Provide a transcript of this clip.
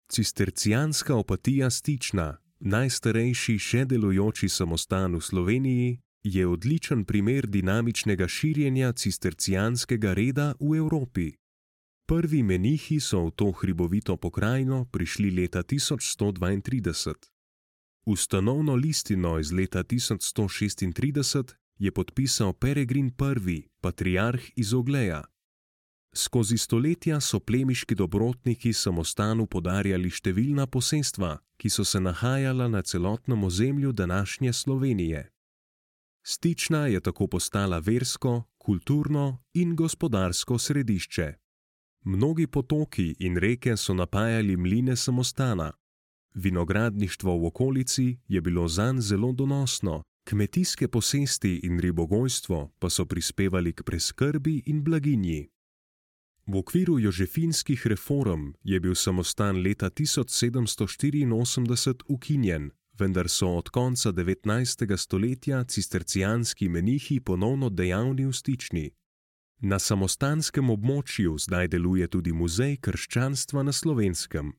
Cistercijanska opatija Stična, najstarejši še delujoči samostan v Sloveniji, je odličen primer dinamičnega širjenja cistercijanskega reda v Evropi. Prvi menihi so v to hribovito pokrajino prišli leta 1132. Ustanovno listino iz leta 1136 je podpisal Peregrin I., patriarh iz Ogleja. Skozi stoletja so plemiški dobrotniki samostanu podarjali številna posestva, ki so se nahajala na celotnem ozemlju današnje Slovenije. Stična je tako postala versko, kulturno in gospodarsko središče. Mnogi potoki in reke so napajali mline samostana. Vinogradništvo v okolici je bilo zanj zelo donosno, kmetijske posesti in ribogojstvo pa so prispevali k preskrbi in blaginji. V okviru jožefinskih reform je bil samostan leta 1784 ukinjen, vendar so od konca 19. stoletja cistercijanski menihi ponovno dejavni v Stični. Na samostanskem območju zdaj deluje tudi muzej krščanstva na Slovenskem.